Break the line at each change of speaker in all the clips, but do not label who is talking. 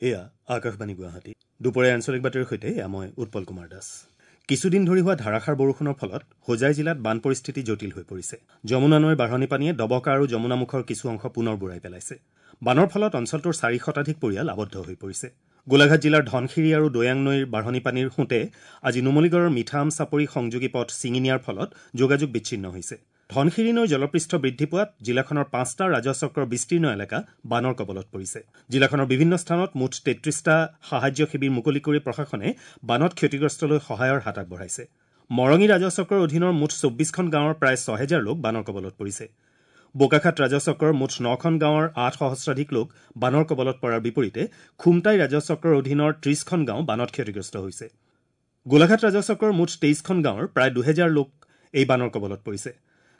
এয়া আকাশবাণী গুৱাহাটী। দুপৰীয়া আঞ্চলিক বাতৰিৰ সৈতে এয়া মই উৎপল কুমাৰ দাস। কিছুদিন ধৰি হোৱা ধাৰাসাৰ বৰষুণৰ ফলত হোজাই জিলাত বান পৰিস্থিতি জটিল হৈ পৰিছে। যমুনা নৈৰ বাঢ়নী পানীয়ে ডবকা আৰু যমুনামুখৰ কিছু অংশ পুনৰ বুৰাই পেলাইছে। বানৰ ফলত অঞ্চলটোৰ 4 শতাধিক পৰিয়াল আবদ্ধ হৈ পৰিছে। গোলাঘাট জিলাৰ ধনশিৰি আৰু দৈয়াং নৈৰ বাঢ়নী পানীৰ সোঁতে আজি নুমলীগড়ৰ মিঠা আম চাপৰি সংযোগী পথ ছিঙি নিয়াৰ ফলত যোগাযোগ বিচ্ছিন্ন হৈছে। ধনশিৰি নৈৰ জলপৃষ্ঠ বৃদ্ধি পোৱাত জিলাখনৰ 5টা ৰাজহচক্ৰৰ বিস্তীৰ্ণ এলেকা বানৰ কবলত পৰিছে। জিলাখনৰ বিভিন্ন স্থানত মুঠ 33টা সাহায্য শিবিৰ মুকলি কৰি প্ৰশাসনে বানত ক্ষতিগ্ৰস্তলৈ সহায়ৰ হাত আগবঢ়াইছে। মৰঙী ৰাজহচক্ৰৰ অধীনৰ মুঠ 24খন গাঁৱৰ প্ৰায় 6000 লোক বানৰ কবলত পৰিছে। বোকাখাট ৰাজহচক্ৰৰ মুঠ 9খন গাঁৱৰ 8 সহস্ৰাধিক লোক বানৰ কবলত পৰাৰ বিপৰীতে খুমটাই ৰাজহচক্ৰৰ অধীনৰ 30খন গাঁও বানত ক্ষতিগ্ৰস্ত হৈছে। গোলাঘাট ৰাজহচক্ৰৰ মুঠ 23খন গাঁৱৰ প্ৰায় 2000 লোক এই বানৰ কবলত পৰিছে।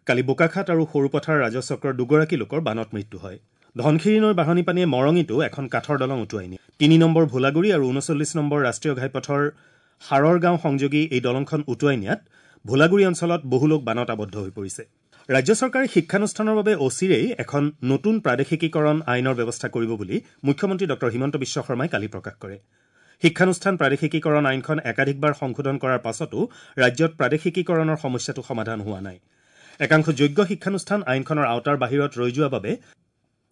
কালি বোকাখাট আৰু সৰুপথাৰ ৰাজহচক্ৰৰ 2গৰাকী লোকৰ বানত মৃত্যু হয়। ধনশিৰি নৈৰ বাঢ়নী পানীয়ে মৰঙীতো এখন কাঠৰ দলং উটুৱাই নিয়ে। 3 নম্বৰ ভোলাগুৰি আৰু 39 নম্বৰ ৰাষ্ট্ৰীয় ঘাইপথৰ সাৰৰ গাঁও সংযোগী এই দলংখন উটুৱাই নিয়াত ভোলাগুৰি অঞ্চলত বহু লোক বানত আবদ্ধ হৈ পৰিছে। ৰাজ্য চৰকাৰে শিক্ষানুষ্ঠানৰ বাবে অচিৰেই এখন নতুন প্ৰাদেশিকীকৰণ আইনৰ ব্যৱস্থা কৰিব বুলি মুখ্যমন্ত্ৰী ডঃ হিমন্ত বিশ্ব শৰ্মাই কালি প্ৰকাশ কৰে। শিক্ষানুষ্ঠান প্ৰাদেশিকীকৰণ আইনখন একাধিকবাৰ সংশোধন কৰাৰ পাছতো ৰাজ্যত প্ৰাদেশিকীকৰণৰ সমস্যাটো সমাধান হোৱা নাই। একাংশ যোগ্য শিক্ষানুষ্ঠান আইনখনৰ আওতাৰ বাহিৰত ৰৈ যোৱাৰ বাবে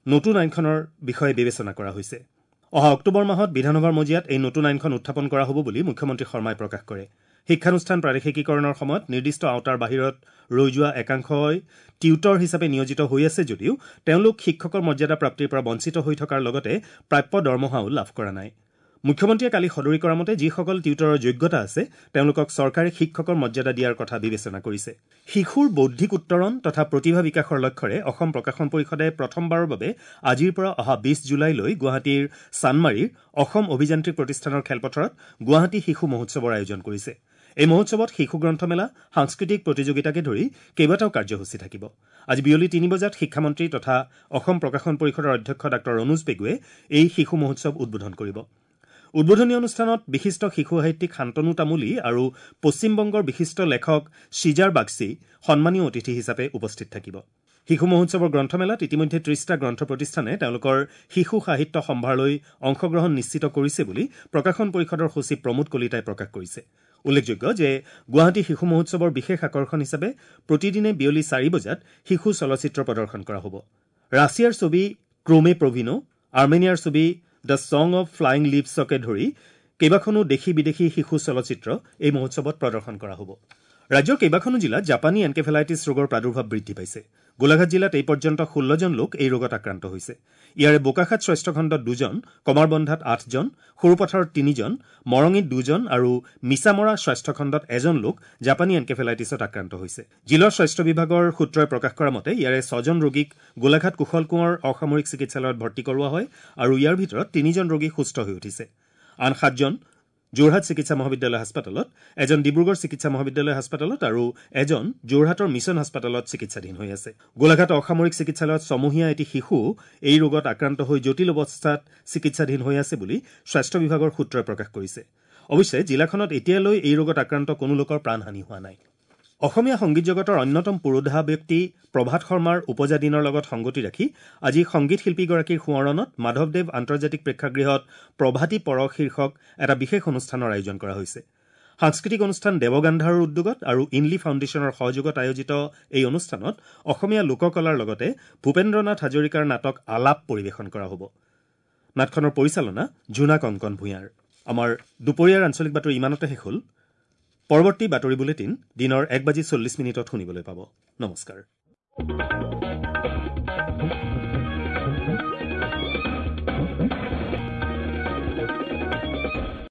নতুন আইনখনৰ বিষয়ে বিবেচনা কৰা হৈছে। অহা অক্টোবৰ মাহত বিধানসভাৰ মজিয়াত এই নতুন আইনখন উত্থাপন কৰা হ'ব বুলি মুখ্যমন্ত্ৰী শৰ্মাই প্ৰকাশ কৰে। শিক্ষানুষ্ঠান প্ৰাদেশিকীকৰণৰ সময়ত নিৰ্দিষ্ট আওতাৰ বাহিৰত ৰৈ যোৱা একাংশই টিউটৰ হিচাপে নিয়োজিত হৈ আছে যদিও তেওঁলোক শিক্ষকৰ মৰ্যাদা প্ৰাপ্তিৰ পৰা বঞ্চিত হৈ থকাৰ লগতে প্ৰাপ্য দৰমহাও লাভ কৰা নাই। মুখ্যমন্ত্ৰীয়ে কালি সদৰি কৰা মতে যিসকল টিউটৰৰ যোগ্যতা আছে তেওঁলোকক চৰকাৰে শিক্ষকৰ মৰ্যাদা দিয়াৰ কথা বিবেচনা কৰিছে। শিশুৰ বৌদ্ধিক উত্তৰণ তথা প্ৰতিভা বিকাশৰ লক্ষ্যৰে অসম প্ৰকাশন পৰিষদে প্ৰথমবাৰৰ বাবে আজিৰ পৰা অহা 20 জুলাইলৈ গুৱাহাটীৰ চানমাৰীৰ অসম অভিযান্ত্ৰিক প্ৰতিষ্ঠানৰ খেলপথাৰত গুৱাহাটী শিশু মহোৎসৱৰ আয়োজন কৰিছে। এই মহোৎসৱত শিশু গ্ৰন্থমেলা, সাংস্কৃতিক প্ৰতিযোগিতাকে ধৰি কেইবাটাও কাৰ্যসূচী থাকিব। আজি বিয়লি 3 বজাত শিক্ষামন্ত্ৰী তথা অসম প্ৰকাশন পৰিষদৰ অধ্যক্ষ ডাঃ অনুজ পেগুৱে এই শিশু মহোৎসৱ উদ্বোধন কৰিব। উদ্বোধনী অনুষ্ঠানত বিশিষ্ট শিশু সাহিত্যিক শান্তনু তামুলী আৰু পশ্চিমবংগৰ বিশিষ্ট লেখক চিজাৰ বাগচি সন্মানীয় অতিথি হিচাপে উপস্থিত থাকিব। শিশু মহোৎসৱৰ গ্ৰন্থমেলাত ইতিমধ্যে 30টা গ্ৰন্থ প্ৰতিষ্ঠানে তেওঁলোকৰ শিশু সাহিত্য সম্ভাৰলৈ অংশগ্ৰহণ নিশ্চিত কৰিছে বুলি প্ৰকাশন পৰিষদৰ সচিব প্ৰমোদ কলিতাই প্ৰকাশ কৰিছে। উল্লেখযোগ্য যে গুৱাহাটী শিশু মহোৎসৱৰ বিশেষ আকৰ্ষণ হিচাপে প্ৰতিদিনে বিয়লি 4 বজাত শিশু চলচ্চিত্ৰ প্ৰদৰ্শন কৰা হ'ব। ৰাছিয়াৰ ছবি ক্ৰোমে প্ৰভিনো, আৰ্মেনিয়াৰ ছবি the song of flying লিভছকে ধৰি কেইবাখনো দেশী বিদেশী শিশু চলচ্চিত্ৰ এই মহোৎসৱত প্ৰদৰ্শন কৰা হ'ব। ৰাজ্যৰ কেইবাখনো জিলাত জাপানী এনকেফেলাইটিছ ৰোগৰ প্ৰাদুৰ্ভাৱ বৃদ্ধি পাইছে। গোলাঘাট জিলাত এই পৰ্যন্ত 16জন লোক এই ৰোগত আক্ৰান্ত হৈছে। ইয়াৰে বোকাখাট স্বাস্থ্যখণ্ডত 2জন, কমাৰবন্ধাত 8জন, সৰুপথাৰত 3জন, মৰঙীত 2জন আৰু মিছামৰা স্বাস্থ্যখণ্ডত 1জন লোক জাপানী এনকেফেলাইটিছত আক্ৰান্ত হৈছে। জিলাৰ স্বাস্থ্য বিভাগৰ সূত্ৰই প্ৰকাশ কৰা মতে ইয়াৰে 6জন ৰোগীক গোলাঘাট কুশল কোঁৱৰ অসামৰিক চিকিৎসালয়ত ভৰ্তি কৰোৱা হয় আৰু ইয়াৰ ভিতৰত 3জন ৰোগী সুস্থ হৈ উঠিছে। আন 7জন যোৰহাট চিকিৎসা মহাবিদ্যালয় হাস্পতালত, এজন ডিব্ৰুগড় চিকিৎসা মহাবিদ্যালয় হাস্পতালত আৰু এজন যোৰহাটৰ মিছন হাস্পতালত চিকিৎসাধীন হৈ আছে। গোলাঘাট অসামৰিক চিকিৎসালয়ত ছমহীয়া এটি শিশু এই ৰোগত আক্ৰান্ত হৈ জটিল অৱস্থাত চিকিৎসাধীন হৈ আছে বুলি স্বাস্থ্য বিভাগৰ সূত্ৰই প্ৰকাশ কৰিছে। অৱশ্যে জিলাখনত এতিয়ালৈ এই ৰোগত আক্ৰান্ত কোনো লোকৰ প্ৰাণহানি হোৱা নাই। অসমীয়া সংগীত জগতৰ অন্যতম পুৰোধা ব্যক্তি প্ৰভাত শৰ্মাৰ উপজা দিনৰ লগত সংগতি ৰাখি আজি সংগীত শিল্পীগৰাকীৰ সোঁৱৰণত মাধৱদেৱ আন্তৰ্জাতিক প্ৰেক্ষাগৃহত প্ৰভাতী পৰশ শীৰ্ষক এটা বিশেষ অনুষ্ঠানৰ আয়োজন কৰা হৈছে। সাংস্কৃতিক অনুষ্ঠান দেৱগান্ধাৰৰ উদ্যোগত আৰু ইনলি ফাউণ্ডেশ্যনৰ সহযোগত আয়োজিত এই অনুষ্ঠানত অসমীয়া লোককলাৰ লগতে ভূপেন্দ্ৰনাথ হাজৰিকাৰ নাটক আলাপ পৰিৱেশন কৰা হ'ব। নাটখনৰ পৰিচালনা জোনাক অংকন ভূঞাৰ। আমাৰ দুপৰীয়াৰ আঞ্চলিক বাতৰি ইমানতে শেষ হ'ল। পৰৱৰ্তী বাতৰি বুলেটিন দিনৰ 1:40 শুনিবলৈ পাব। নমস্কাৰ।